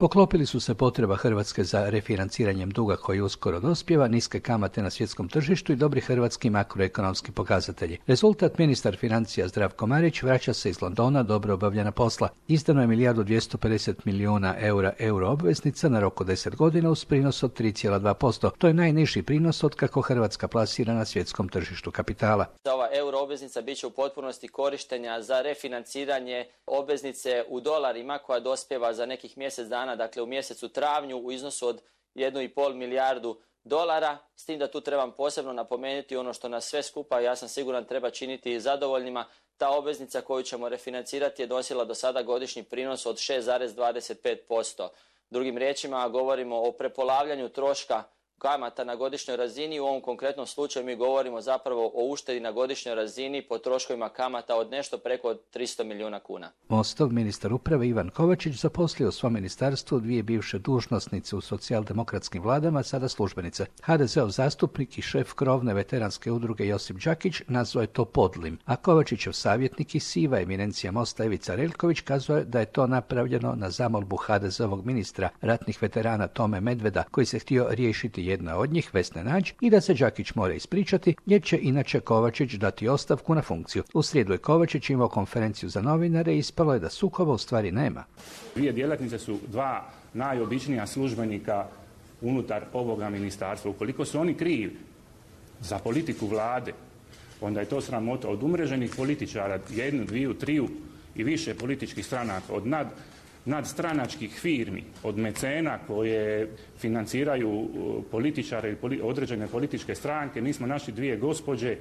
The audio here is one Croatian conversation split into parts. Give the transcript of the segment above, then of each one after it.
Poklopili su se potreba Hrvatske za refinanciranjem duga koji uskoro dospijeva, niske kamate na svjetskom tržištu i dobri hrvatski makroekonomski pokazatelji. Rezultat: ministar financija Zdravko Marić vraća se iz Londona dobro obavljena posla. Izdano je 1.250 milijuna euro obveznica na rok od 10 godina uz prinos od 3,2%. To je najniži prinos od kako Hrvatska plasira na svjetskom tržištu kapitala. Ova euro obveznica bit će u potpunosti korištenja za refinanciranje obveznice u dolarima koja dospijeva za nekih mjesec dana, dakle u mjesecu travnju u iznosu od 1,5 milijardu dolara, s tim da tu trebam posebno napomenuti ono što nas sve skupa, ja sam siguran, treba činiti zadovoljnima. Ta obveznica koju ćemo refinancirati je nosila do sada godišnji prinos od 6,25%. Drugim riječima govorimo o prepolavljanju troška kamata na godišnjoj razini. U ovom konkretnom slučaju mi govorimo zapravo o uštedi na godišnjoj razini po troškovima kamata od nešto preko 300 milijuna kuna. Mostov ministar uprave Ivan Kovačić zaposlio u svom ministarstvu dvije bivše dužnosnice u socijaldemokratskim vladama, sada službenice. HDZ-ov zastupnik i šef krovne veteranske udruge Josip Đakić nazvao je to podlim, a Kovačićev savjetnik i siva eminencija Mosta Ivica Relković kazao je da je to napravljeno na zamolbu HDZ-ovog ministra ratnih veterana Tome Medveda, koji se htio riješiti jedna od njih, Vesne Nađ, i da se Đakić mora ispričati jer će inače Kovačić dati ostavku na funkciju. U srijedu je Kovačić imao konferenciju za novinare i ispalo je da sukoba u stvari nema. Dvije djelatnice su dva najobičnija službenika unutar ovoga ministarstva. Ukoliko su oni krivi za politiku vlade, onda je to sramota. Od umreženih političara, jednu, dviju, triju i više političkih stranaka, od nadstranačkih firmi, od mecena koje financiraju političare i određene političke stranke, mi smo našli dvije gospođe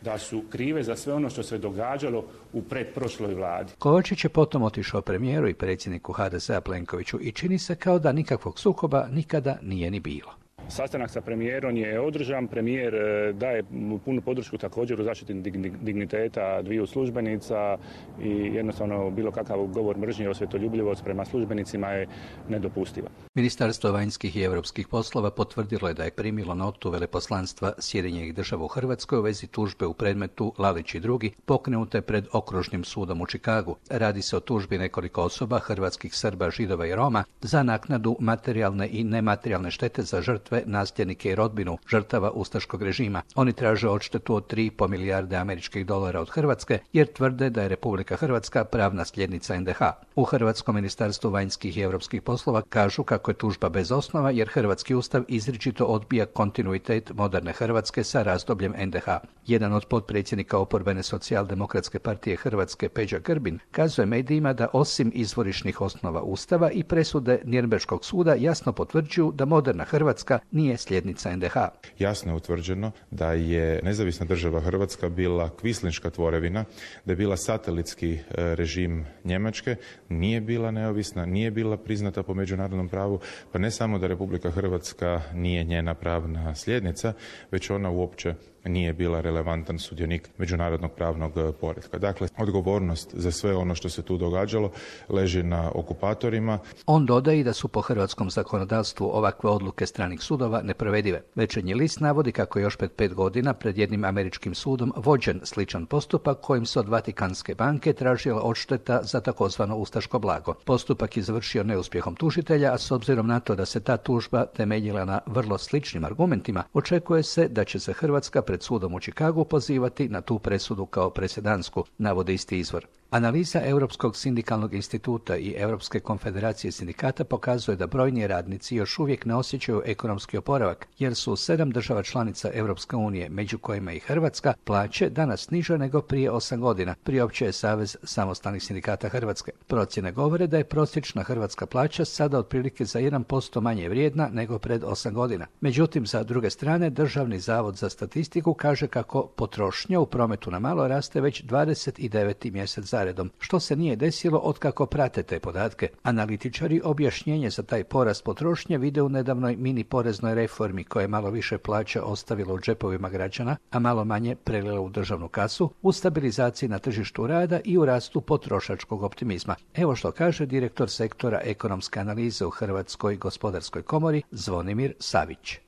da su krive za sve ono što se događalo u pretprošloj vladi. Kovačić je potom otišao premijeru i predsjedniku HDZ-a Plenkoviću i čini se kao da nikakvog sukoba nikada nije ni bilo. Sastanak sa premijerom je održan. Premijer daje punu podršku također u zaštiti digniteta dviju službenica i jednostavno bilo kakav govor mržnje i osvetoljubljivost prema službenicima je nedopustiva. Ministarstvo vanjskih i europskih poslova potvrdilo je da je primilo notu veleposlanstva Sjedinjenih Država u Hrvatskoj u vezi tužbe u predmetu Lalić i drugi pokrenute pred Okružnim sudom u Čikagu. Radi se o tužbi nekoliko osoba, hrvatskih Srba, Židova i Roma, za naknadu materijalne i nematerijalne štete za žrtve, nasljednike i rodbinu žrtava ustaškog režima. Oni traže odštetu od 3,5 milijarde američkih dolara od Hrvatske jer tvrde da je Republika Hrvatska pravna sljednica NDH. U Hrvatskom ministarstvu vanjskih i europskih poslova kažu kako je tužba bez osnova jer Hrvatski ustav izričito odbija kontinuitet moderne Hrvatske sa razdobljem NDH. Jedan od potpredsjednika oporbene socijaldemokratske partije Hrvatske, Peđa Grbin, kazuje medijima da osim izvorišnih osnova ustava i presude Nirnberškog suda jasno potvrđuju da moderna Hrvatska nije sljednica NDH. Jasno je utvrđeno da je nezavisna država Hrvatska bila kvislinška tvorevina, da je bila satelitski režim Njemačke, nije bila neovisna, nije bila priznata po međunarodnom pravu, pa ne samo da Republika Hrvatska nije njena pravna sljednica, već ona uopće nije bila relevantan sudionik međunarodnog pravnog poretka. Dakle, odgovornost za sve ono što se tu događalo leži na okupatorima. On dodaje i da su po hrvatskom zakonodavstvu ovakve odluke stranih sudova neprovedive. Večernji list navodi kako je još pred 5 godina pred jednim američkim sudom vođen sličan postupak kojim se od Vatikanske banke tražila odšteta za takozvano ustaško blago. Postupak je završio neuspjehom tužitelja, a s obzirom na to da se ta tužba temeljila na vrlo sličnim argumentima, očekuje se da će se Hrvatska pred sudom u Čikagu pozivati na tu presudu kao presedansku, navodi isti izvor. Analiza Europskog sindikalnog instituta i Europske konfederacije sindikata pokazuje da brojni radnici još uvijek ne osjećaju ekonomski oporavak, jer su 7 država članica Europske unije, među kojima i Hrvatska, plaće danas niže nego prije 8 godina, priopćio je Savez samostalnih sindikata Hrvatske. Procjene govore da je prosječna hrvatska plaća sada otprilike za 1% manje vrijedna nego pred 8 godina. Međutim, sa druge strane, Državni zavod za statistiku kaže kako potrošnja u prometu na malo raste već 29. mjesec zaredom, što se nije desilo otkako prate te podatke. Analitičari objašnjenje za taj porast potrošnje vide u nedavnoj mini poreznoj reformi koja je malo više plaća ostavila u džepovima građana, a malo manje prelila u državnu kasu, u stabilizaciji na tržištu rada i u rastu potrošačkog optimizma. Evo što kaže direktor sektora ekonomske analize u Hrvatskoj gospodarskoj komori Zvonimir Savić.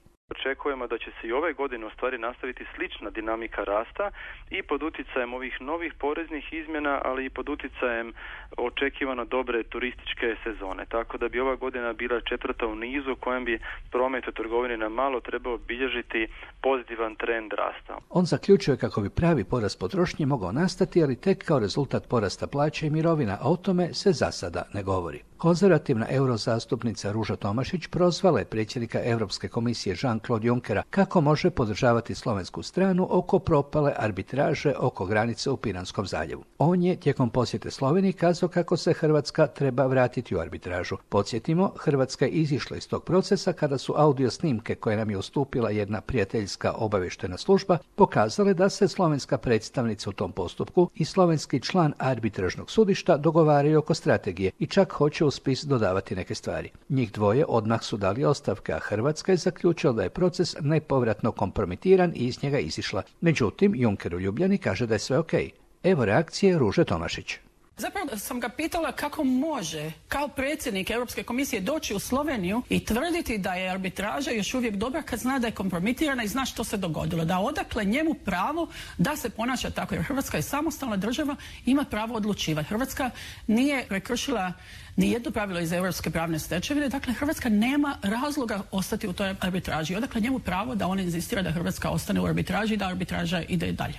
očekujemo da će se i ove godine u stvari nastaviti slična dinamika rasta i pod utjecajem ovih novih poreznih izmjena, ali i pod utjecajem očekivano dobre turističke sezone. Tako da bi ova godina bila četvrta u nizu u kojem bi promet u trgovini na malo trebao bilježiti pozitivan trend rasta. On zaključuje kako bi pravi porast potrošnje mogao nastati, ali tek kao rezultat porasta plaća i mirovina, a o tome se za sada ne govori. Konzervativna eurozastupnica Ruža Tomašić prozvala je predsjednika Europske komisije Jean-Claude Junckera kako može podržavati slovensku stranu oko propale arbitraže oko granice u Piranskom zaljevu. On je tijekom posjete Sloveniji kazao kako se Hrvatska treba vratiti u arbitražu. Podsjetimo, Hrvatska je izišla iz tog procesa kada su audio snimke koje nam je ustupila jedna prijateljska obavještajna služba pokazale da se slovenska predstavnica u tom postupku i slovenski član arbitražnog sudišta dogovaraju oko strategije i čak hoće u spis dodavati neke stvari. Njih dvoje odmah su dali ostavke, a Hrvatska je zaključila da je proces nepovratno kompromitiran i iz njega izišla. Međutim, Juncker u Ljubljani kaže da je sve okej. Evo reakcije Ruže Tomašić. Zapravo sam ga pitala kako može kao predsjednik Europske komisije doći u Sloveniju i tvrditi da je arbitraža još uvijek dobra kad zna da je kompromitirana i zna što se dogodilo. Da odakle njemu pravo da se ponaša tako, jer Hrvatska je samostalna država, ima pravo odlučivati. Hrvatska nije prekršila ni jedno pravilo iz europske pravne stečevine, dakle Hrvatska nema razloga ostati u toj arbitraži. Odakle njemu pravo da on inzistira da Hrvatska ostane u arbitraži i da arbitraža ide dalje.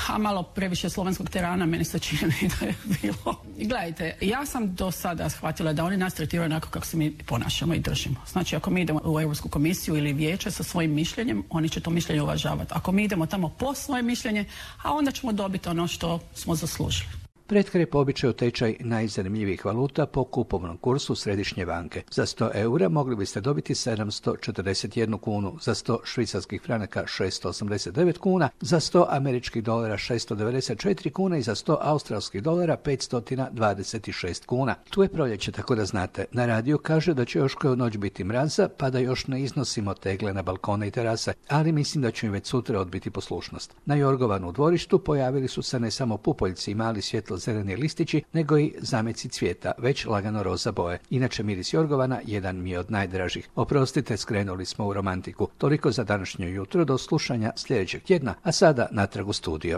A malo previše slovenskog terana meni se čini da je bilo. Gledajte, ja sam do sada shvatila da oni nas tretiraju onako kako se mi ponašamo i držimo. Znači, ako mi idemo u Europsku komisiju ili vijeće sa svojim mišljenjem, oni će to mišljenje uvažavati. Ako mi idemo tamo po svoje mišljenje, a onda ćemo dobiti ono što smo zaslužili. Pred kraj po običaju tečaj najzanimljivijih valuta po kupovnom kursu Središnje banke. Za 100 eura mogli biste dobiti 741 kunu, za 100 švicarskih franaka 689 kuna, za 100 američkih dolara 694 kuna i za 100 australskih dolara 526 kuna. Tu je proljeće, tako da znate. Na radiju kaže da će još koju noć biti mraza, pa da još ne iznosimo tegle na balkone i terase, ali mislim da će im već sutra odbiti poslušnost. Na Jorgovanu u dvorištu pojavili su se ne samo pupoljci i mali svjetlo-zeleni listići, nego i zameci cvijeta, već lagano roza boje. Inače, miris Jorgovana jedan mi je od najdražih. Oprostite, skrenuli smo u romantiku. Toliko za današnje jutro, do slušanja sljedećeg tjedna, a sada natrag u studio.